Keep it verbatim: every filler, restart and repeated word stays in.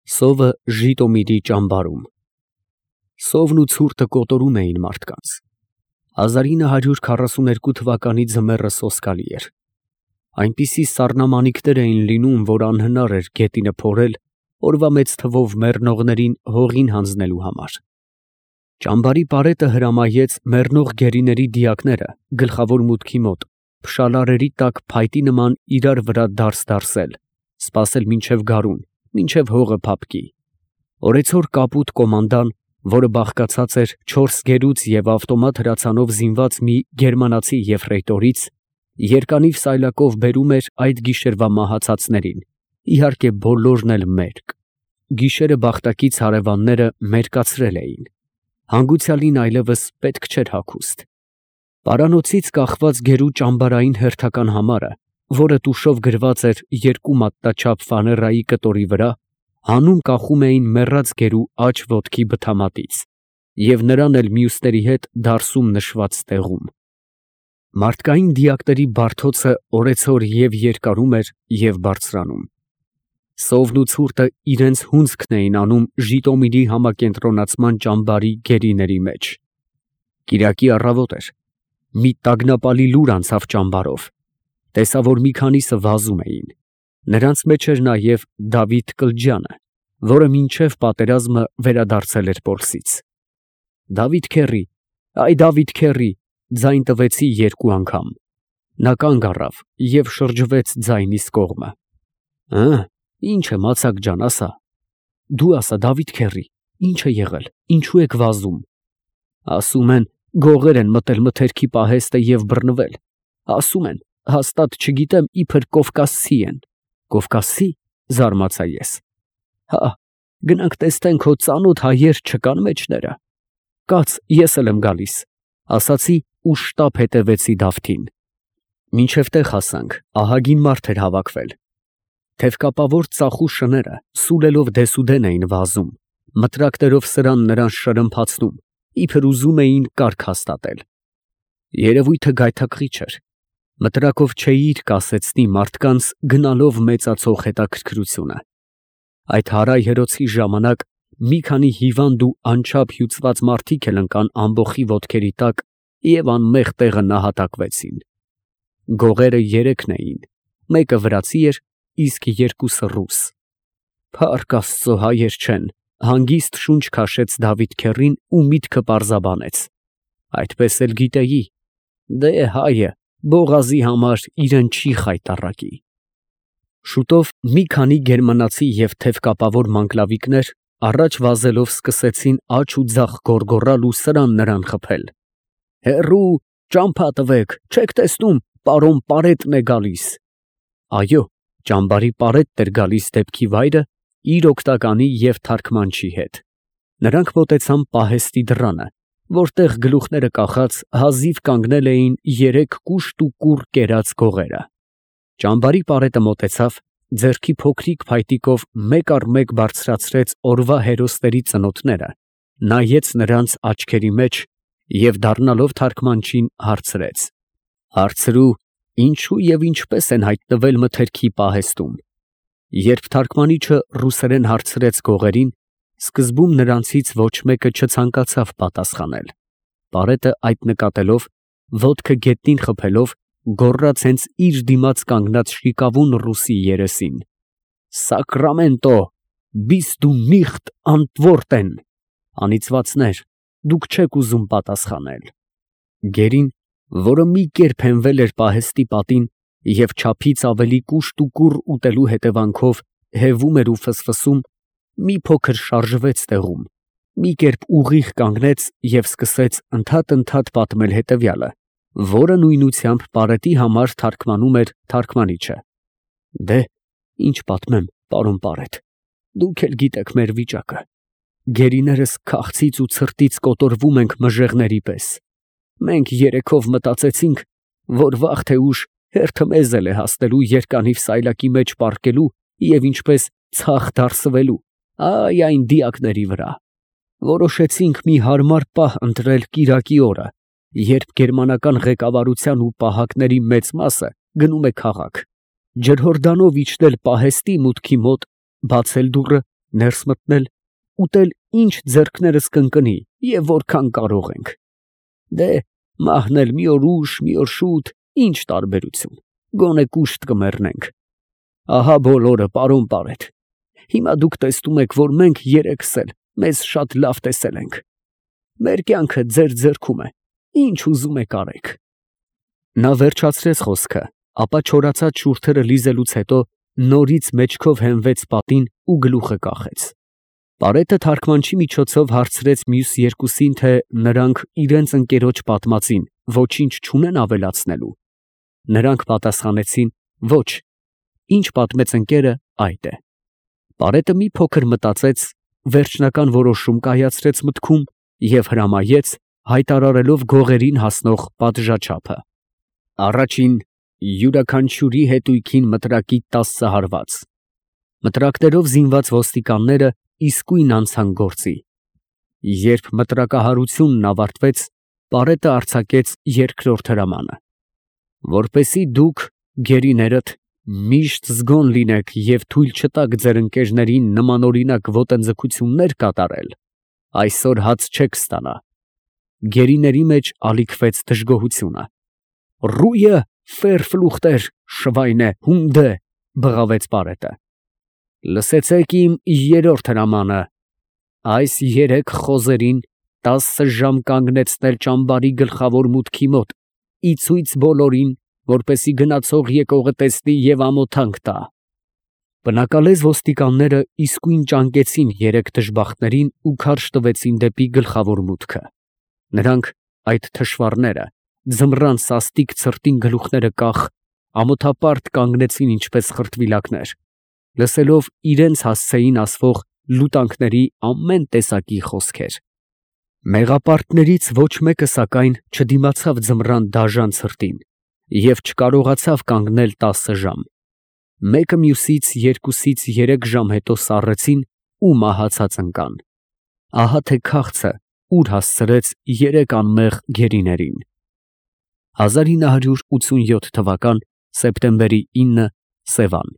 Սովը Ժիտոմիրի ճամբարում։ Սովն ու ցուրտը կոտորում էին մարդկանց։ հազար ինը հարյուր քառասուներկու թվականի ձմեռը սոսկալի էր։ Այնպիսի սառնամանիքներ էին լինում, որ անհնար էր գետինը փորել օրվա մեծ թվով մեռնողներին հողին հանձնելու համար։ Ճամբարի պարետը հրամայեց մեռնող գերիների դիակները գլխավոր մուտքի մոտ փշալարերի տակ փայտի նման իրար վրա դարս դարսել, սպասել մինչև գարուն, մինչև հողը փափկի։ Օրեցօր կապույտ կոմանդան, որը բաղկացած էր չորս գերուց և ավտոմատ հրացանով զինված մի գերմանացի եֆրեյտորից, երկանիվ սայլակով բերում էր այդ գիշերվա մահացածներին, իհարկե բոլորն էլ մերկ։ Գիշերը բախտակից հարևանները մերկացրել էին։ Հանգուցյալին այլևս պետք չէր հագուստ։ Պարանոցից կախված գերու ճամբարային հերթական համարը, որը տուշով գրված էր երկու մատնաչափ ֆաներայի կտորի վրա, հանում կախում էին մեռած գերու աջ ոտքի բթամատից և նրան էլ մյուսների հետ դարսում նշված տեղում։ Մարդկային դիակների բարդոցը օրեցօր և երկարում էր և բարձրանում։ Սովն ու ցուրտը իրենց հունձքն էին անում Ժիտոմիրի համակենտրոնացման ճամբարի գերիների մեջ։ Կիրակի առավոտ էր։ Մի տագնապալի լուր անցավ ճամբարով։ Տեսա, որ մի քանիսը վազում էին։ Նրանց մեջ էր նաև Դավիթ Կլջյանը, որը մինչև պատերազմը վերադարձել էր Պոլսից։ «Դավիթ քեռի, այ Դավիթ քեռի», ձայն տվեցի երկու անգամ։ Նա կանգ առավ և շրջվեց ձայնիս կողմը։ «Հը՞, ի՞նչ է, մացակ ջան, ասա»։ «Դու ասա, Դավիթ քեռի, ի՞նչ է եղել, ինչու եք վազում»։ «Ասում են, գողեր են մտել մթերքի պահեստը և բռնվել։ Ասում են, հաստատ չգիտեմ, իբր կովկասցի են»։ «Կովկասցի»։ Զարմացա ես։ «Հա, գնանք տեսնենք հո ծանոթ հայեր չկան մեջները»։ «Կաց, ես էլ եմ գալիս», ասացի ու շտապ հետևեցի Դավթին։ Մինչև տեղ հասանք, ահագին մարդ էր հավաքվել։ Թևկապավոր ծախու շները սուլելով դեսուդեն էին վազում, մտրակներով սրան նրան շրմփացնում, իբր ուզում էին կարգ հաստատել։ Երևույթը գայթակղիչ էր։ Մտրակով չէիր կասեցնի մարդկանց գնալով մեծացող հետաքրքրությունը։ Այդ հարայ հերոցի ժամանակ մի քանի հիվանդ ու անչափ հյուծված մարդիկ էլ ընկան ամբոխի ոտքերի տակ և անմեղ տեղը նահատակվեցին։ Գողերը երեքն էին, մեկը վրացի էր, իսկ երկուսը ռուս։ Փառք Աստծո, հայեր չեն, հանգիստ շունչ քաշեց Դավիթ քեռին ու միտքը պարզաբանեց։ Այդպես էլ գիտեի։ Դե հայը բողազի համար իրեն չի խայտառակի։ Շուտով մի քանի գերմանացի և թևկապավոր մանգլավիկներ առաջ վազելով սկսեցին աջ ու ձախ գոռգոռալ ու սրան նրան խփել։ «Հեռու, ճամփա տվեք, չեք տեսնում, պարոն Պարետն է գալիս»։ Այո, ճամբարի պարետն էր գալիս դեպքի վայրը իր օգնականի և թարգմանչի հետ։ Նրանք մոտեցան պահեստի դռանը, որտեղ գլուխները կախած հազիվ կանգնել էին երեք կուշտ ու կուռ կերած գողերը։ Ճամբարի պարետը մոտեցավ, ձեռքի փոքրիկ փայտիկով մեկ առ մեկ բարձրացրեց օրվա հերոսների ծնոտները, նայեց նրանց աչքերի մեջ և դառնալով թարգմանչին հարցրեց. «Հարցրու, ինչու և ինչպես են հայտնվել մթերքի պահեստում»։ Երբ թարգմանիչը ռուսերեն հարցրեց գողերին, սկզբում նրանցից ոչ մեկը չցանկացավ պատասխանել։ Պարետը այդ նկատելով, ոտքը գետնին խփելով, գոռաց հենց իր դիմաց կանգնած շիկավուն ռուսի երեսին. «Սակրամենտո, բիս դու նիխտ անտվորտեն» (անիծվածներ, դուք չեք ուզում պատասխանել)։ Գերին, որը մի կերպ հենվել էր պահեստի պատին և չափից ավելի կուշտ ու կուռ ուտելու հետևանքով հևում էր ու ֆսֆսում, մի փոքր շարժվեց տեղում, մի կերպ ուղիղ կանգնեց և սկսեց ընդհատ֊ընդհատ պատմել հետևյալը, որը նույնությամբ պարետի համար թարգմանում էր թարգմանիչը։ «Դե, ի՞նչ պատմեմ, պարոն պարետ, դուք էլ գիտեք մեր վիճակը։ Գերիներս քաղցից ու ցրտից կոտորվում ենք մժեղների պես։ Մենք երեքով մտածեցինք, որ վաղ թե ուշ հերթը մեզ էլ է հասնելու երկանիվ սայլակի մեջ պառկելու և ինչպես ցախ դարսվելու, այ այն դիակների վրա։ Որոշեցինք մի հարմար պահ ընտրել կիրակի օրը, երբ գերմանական ղեկավարության ու պահակների մեծ մասը գնում է քաղաք, ջրհորդանով իջնել պահեստի մուտքի մոտ, բացել դուռը ներս մտնել, ուտել ինչ ձեռքներս կընկնի և որքան կարող ենք։ Դե, մահն էլ մի օր ուշ, մի օր շուտ, ինչ տարբերություն, գոնե կուշտ կմեռնենք։ Ահա բոլորը, պարոն Պարետ, հիմա դուք տեսնում եք, որ մենք երեքս էլ մեզ շատ լավ տեսել ենք։ Մեր կյանքը ձեր ձեռքում է, ինչ ուզում եք արեք։ Նա վերջացրեց խոսքը, ապա չորացած շուրթերը լիզելուց հետո նորից մեջքով հենվեց պատին ու գլուխը կախեց։ Պարետը թարգմանչի միջոցով հարցրեց մյուս երկուսին, թե նրանք իրենց ընկերոջ պատմածին ոչինչ չունեն ավելացնելու։ Նրանք պատասխանեցին. ոչ, ինչ պատմեց ընկերը, այդ է։ Պարետը մի փոքր մտածեց, վերջնական որոշում կայացրեց մտքում և հրամայեց, հայտարարելով գողերին հասնող պատժաչափը։ Առաջին, յուրաքանչյուրի հետույքին մտրակի տասը հարված։ Մտրակներով զինված ոստիկանները իսկույն անցան գործի։ Երբ մտրակահարությունն ավարտվեց, Պարետը արձակեց երկրորդ հրամանը. որպեսզի դուք, գերիներդ, միշտ զգոն լինեք և թույլ չտաք ձեր ընկերներին նմանօրինակ ոտնձգություններ կատարել, այսօր հաց չեք ստանա։ Գերիների մեջ ալիքվեց դժգոհությունը։ Ռույը ֆերֆլուխտեր, շվայնե, հունդե, բղավեց Պարետը։ Լսեցեք իմ երրորդ հրամանը. այս երեք խոզերին տասը ժամ կանգնեցնել ճամբարի գլխավոր մուտքի մոտ, ի ցույց բոլորին, որպեսզի գնացող եկողը տեսնի և ամոթանք տա։ Բնակալեզ ոստիկանները իսկույն ճանկեցին երեք դժբախտներին ու քարշ տվեցին դեպի գլխավոր մուտքը։ Նրանք, այդ թշվառները, ձմռան սաստիկ ցրտին գլուխները կախ, ամոթապարտ կանգնեցին ինչպես խրտվիլակներ, լսելով իրենց հասցեին ասվող լուտանքների ամեն տեսակի խոսքեր։ Մեղապարտներից ոչ մեկը, սակայն, չդիմացավ ձմռան դաժան ցրտին և չկարողացավ կանգնել տասը ժամ։ Մեկը մյուսից երկուսից երեք ժամ հետո սառեցին ու մահացած ընկան։ Ահա թե քաղցը ուր հասցրեց երեք անմեղ գերիներին։ հազար ինը հարյուր ութսունյոթ թվական սեպտեմբերի ինը Սևան։